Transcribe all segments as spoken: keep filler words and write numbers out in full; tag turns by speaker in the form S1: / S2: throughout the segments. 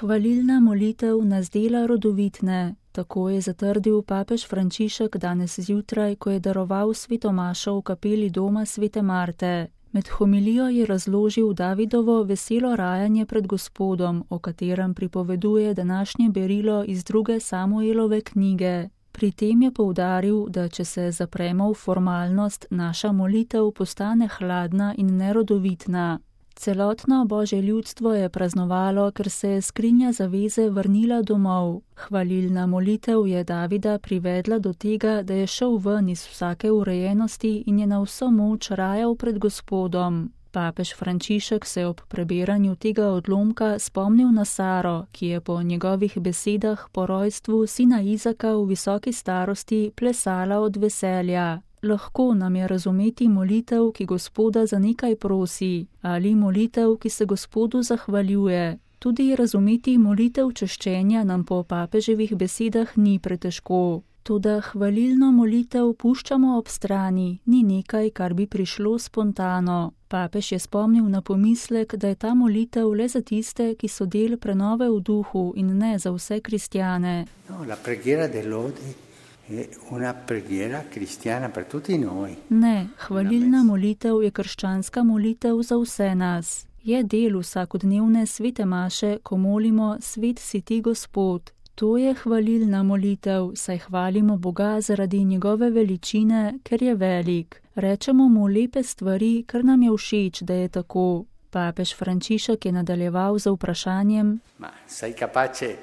S1: Hvalilna molitev nas dela rodovitne, tako je zatrdil papež Frančišek danes zjutraj, ko je daroval sveto mašo v kapeli doma svete Marte. Med homilijo je razložil Davidovo veselo rajanje pred Gospodom, o katerem pripoveduje današnje berilo iz druge Samuelove knjige. Pri tem je poudaril, da če se zapremo v formalnost, naša molitev postane hladna in nerodovitna. Celotno Božje ljudstvo je praznovalo, ker se je skrinja zaveze vrnila domov. Hvalilna molitev je Davida privedla do tega, da je šel ven iz vsake urejenosti in je na vso moč rajal pred Gospodom. Papež Frančišek se je ob preberanju tega odlomka spomnil na Saro, ki je po njegovih besedah po rojstvu sina Izaka v visoki starosti plesala od veselja. Lahko nam je razumeti molitev, ki Gospoda za nekaj prosi, ali molitev, ki se Gospodu zahvaljuje. Tudi razumeti molitev češčenja nam po papeževih besedah ni pretežko. Toda hvalilno molitev puščamo ob strani, ni nekaj, kar bi prišlo spontano. Papež je spomnil na pomislek, da je ta molitev le za tiste, ki so del prenove v duhu in ne za vse kristjane.
S2: No, la preghiera de lode è una preghiera cristiana per tutti noi.
S1: Ne, hvalilna molitev je krščanska molitev za vse nas. Je del vsakodnevne svete maše, ko molimo Svet si ti Gospod. To je hvalilna molitev, saj hvalimo Boga zaradi njegove veličine, ker je velik. Rečemo mu lepe stvari, ker nam je všeč, da je tako. Papež Frančišek je nadaljeval z vprašanjem:
S2: Ma sei capace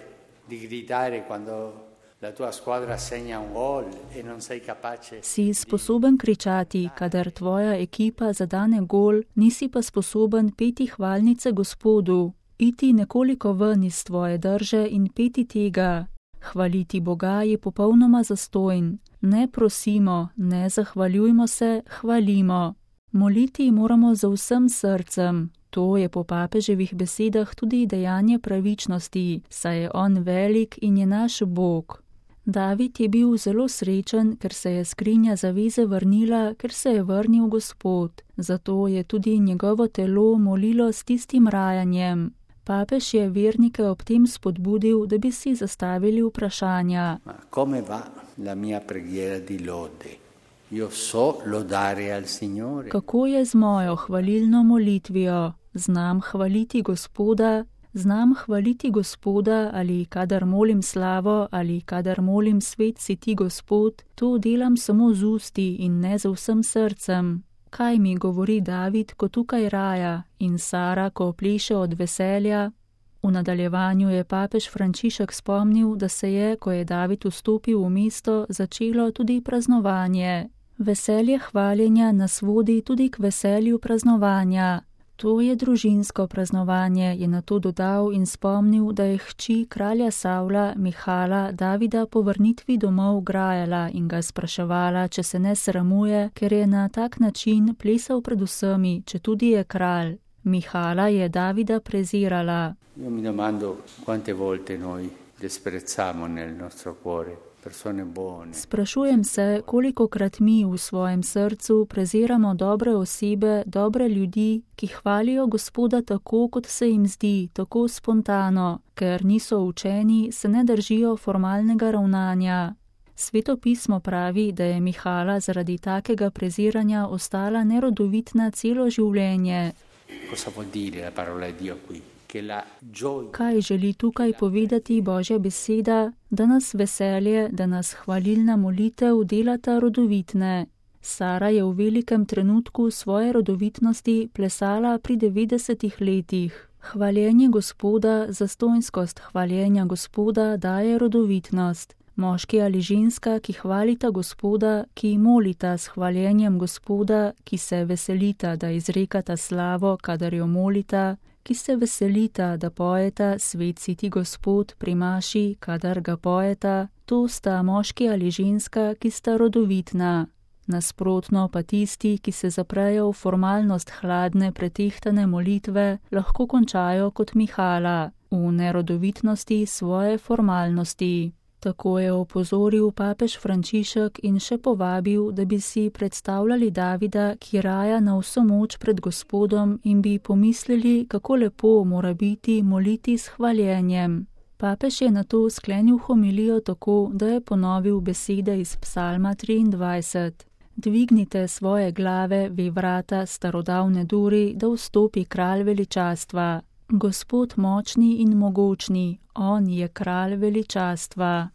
S2: di gridare quando la tua squadra segna un gol e non sei capace?
S1: Si sposoben kričati, kadar tvoja ekipa zadane gol, nisi pa sposoben peti hvalnice Gospodu. Iti nekoliko ven iz tvoje drže in peti tega. Hvaliti Boga je popolnoma zastojn. Ne prosimo, ne zahvaljujmo se, hvalimo. Moliti moramo za vsem srcem. To je po papeževih besedah tudi dejanje pravičnosti, saj je on velik in je naš Bog. David je bil zelo srečen, ker se je skrinja zaveze vrnila, ker se je vrnil Gospod. Zato je tudi njegovo telo molilo s tistim rajanjem. Papež je vernike ob tem spodbudil, da bi si zastavili vprašanja.
S2: Ma come va la mia preghiera di lode? Io so lodare al Signore.
S1: Kako je z mojo hvalilno molitvijo? Znam hvaliti Gospoda, znam hvaliti Gospoda ali kadar molim slavo ali kadar molim Svet si ti Gospod, to delam samo z usti in ne z vsem srcem. Kaj mi govori David, ko tukaj raja, in Sara, ko pleše od veselja? V nadaljevanju je papež Frančišek spomnil, da se je, ko je David vstopil v mesto, začelo tudi praznovanje. Veselje hvaljenja nas vodi tudi k veselju praznovanja. To je družinsko praznovanje, je nato dodal in spomnil, da je hči kralja Savla, Mihala, Davida po vrnitvi domov grajala in ga spraševala, če se ne sramuje, ker je na tak način plesal pred vsemi, če tudi je kralj. Mihala je Davida prezirala.
S2: Io mi domando quante volte noi disprezzamo nel nostro cuore persone buone.
S1: Sprašujem se, kolikokrat mi v svojem srcu preziramo dobre osebe, dobre ljudi, ki hvalijo Gospoda tako, kot se jim zdi, tako spontano, ker niso učeni, se ne držijo formalnega ravnanja. Sveto pismo pravi, da je Mihala zaradi takega preziranja ostala nerodovitna celo življenje.
S2: Cosa vuol dire la parola di Dio qui?
S1: Kaj želi tukaj povedati Božja beseda, da nas veselje, da nas hvalilna molitev delata rodovitne. Sara je v velikem trenutku svoje rodovitnosti plesala pri devetdesetih letih. Hvaljenje Gospoda, zastonjskost hvaljenja Gospoda daje rodovitnost. Moški ali ženska, ki hvalita Gospoda, ki molita s hvaljenjem Gospoda, ki se veselita, da izrekata slavo, kadar jo molita, ki se veselita, da pojeta Svet si ti Gospod pri maši, kadar ga pojeta, to sta moški ali ženska, ki sta rodovitna. Nasprotno pa tisti, ki se zaprejo v formalnost hladne, pretehtane molitve, lahko končajo kot Mihala, v nerodovitnosti svoje formalnosti. Tako je opozoril papež Frančišek in še povabil, da bi si predstavljali Davida, ki raja na vso moč pred Gospodom in bi pomislili, kako lepo mora biti moliti s hvaljenjem. Papež je nato sklenil homilijo tako, da je ponovil besede iz psalma triindvajset. Dvignite svoje glave, vi vrata starodavne duri, da vstopi kralj veličastva. Gospod močni in mogočni, on je kralj veličastva.